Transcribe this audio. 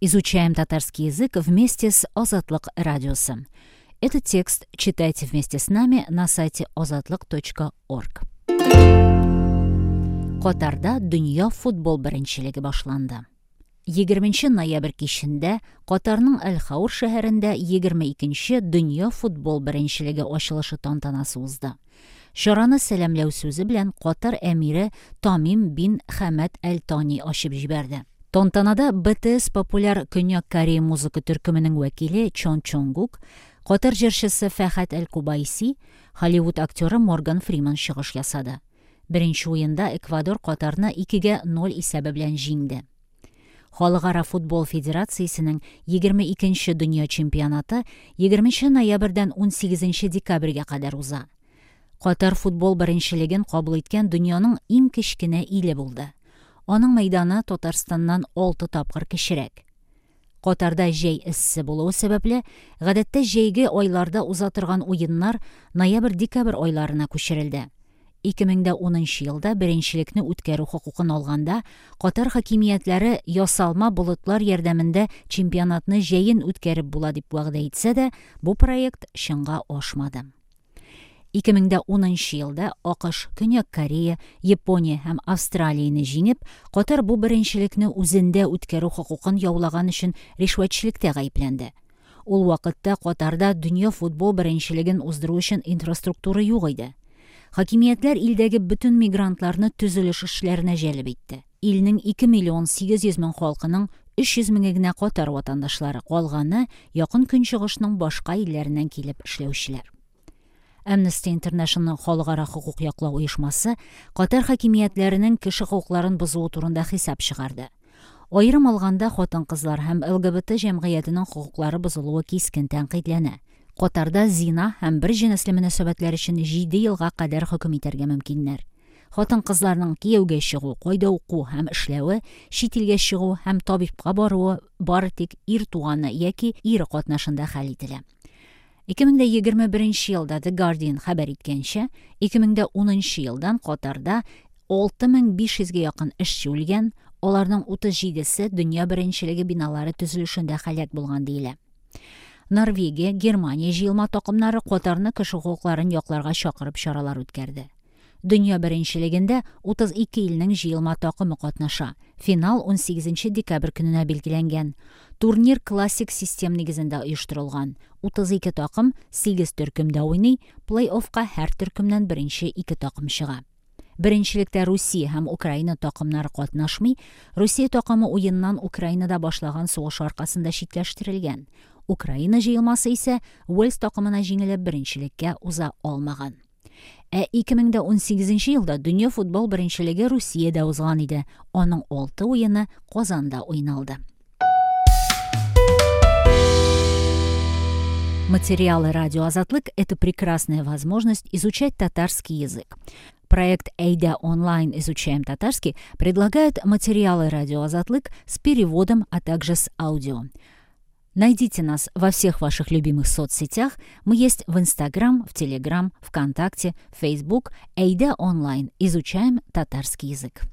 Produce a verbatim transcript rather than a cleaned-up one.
Изучаем татарский язык вместе с Азатлык радиосы. Этот текст читайте вместе с нами на сайте азатлык точка орг. Катарда дөнья футбол беренчелеге башланды. Егерменче ноябрь кичендә Катарның Әл-Хаур шәһәрендә егерме икенче дөнья футбол беренчелеге ачылышы тантанасы узды. Чараны сәламләү сүзе белән Катар әмире Тамим бин Хәмәд Әл-Тани ачып җибәрде. Тантанада Б Т С популяр Көньяк Корея музыка төркеменең вәкиле Чон Чонгук, Катар җырчысы Фәхәт Әл-Кубайси, Холливуд актеры Морган Фриман чыгыш ясады. Беренче уенда Эквадор Катарны икегә ноль исәбе белән җиңде. Халыкара футбол федерациясенең егерме икенче дөнья чемпионаты егерменче ноябрьдән унсигезенче декабрьгә кадәр уза. Катар футбол беренчелеген кабул иткән дөньяның иң кечкенә иле булды. Аның мәйданы Татарстаннан алты тапкыр кечерәк. Катарда җәй эссе булуы сәбәпле, гадәттә җәйге айларда уза торган уеннар ноябрь-декабрь айларына күчерелде. Ике мең дә унынчы елда беренчелекне үткәрү хокукын алганда, Катар хакимиятләре ясалма болытлар ярдәмендә чемпионатны җәен үткәреп була дип вәгъдә итсә дә, бу проект чынга ашмады. Ике мең дә унынчы елда А К Ш, Көньяк Корея, Япония һәм Австралияне җиңеп, Катар бу беренчелекне үзендә үткәрү хокукын яулаган өчен ришвәтчелектә гаепләнде. Ул вакытта Катарда дөнья футбол беренчелеген уздыру өчен инфраструктура юк иде. Хакимиятләр илдәге бөтен мигрантларны төзелеш эшләренә җәлеп итте. Илнең ике миллион сигез йөз мең халкының өч йөз меңе генә Катар ватандашлары, калганы якын көнчыгышның башка илләреннән килеп эшләүчеләр. Amnesty International халыкара хокук яклау оешмасы Катар хакимиятләренең кеше хокукларын бозуы турында хисап чыгарды. Аерым алганда хатын-кызлар һәм Л Г Б Т җәмгыятенең хокуклары бозылуы кискен тәнкыйтьләнә. Катарда зина һәм бер җенесле мөнәсәбәтләр өчен җиде елга кадәр хөкем итәргә мөмкиннәр. Хатын-кызларның кияүгә чыгу, кайда уку һәм эшләве, чит илгә чыгу һәм табибка баруы бары тик ир туганы яки ире катнашында хәл ителә. Ике мең дә егерме беренче елда The Guardian хәбәр иткәнчә, ике мең дә унынчы елдан Катарда алты мең биш йөзгә якын эшче үлгән, аларның утыз җидесе дөнья беренчелеге биналары төзелешендә һәлак булган диелә. Норвегия, Германия җыелма такымнары Катарны кеше хокукларын якларга чакырып чаралар үткәрде. Дөнья беренчелегендә утыз ике илнең җыелма такымы катнаша. Финал унсигезенче декабрь көненә билгеләнгән. Турнир классик систем нигезендә оештырылган. Утыз ике такым сигез төркемдә уйный, плей-оффка һәр төркемнән беренче ике такым чыга. Беренчелектә Русия һәм Украина такымнары катнашмый. Русия такымы уеннан Украинада башлаган сугыш аркасында читләштерелгән. Украина җыелмасы исә Уэльс такымына җиңелеп беренчелеккә уза алмаган. Ә ике мең дә унсигезенче елда дөнья футбол беренчелеге Русиядә узган иде. Аның алты уены Казанда уйналды. Материалы радио Азатлык — это прекрасная возможность изучать татарский язык. Проект Әйдә онлайн изучаем татарский предлагает материалы радио Азатлык с переводом, а также с аудио. Найдите нас во всех ваших любимых соцсетях. Мы есть в Инстаграм, в Телеграм, ВКонтакте, Фейсбук. Әйдә онлайн. Изучаем татарский язык.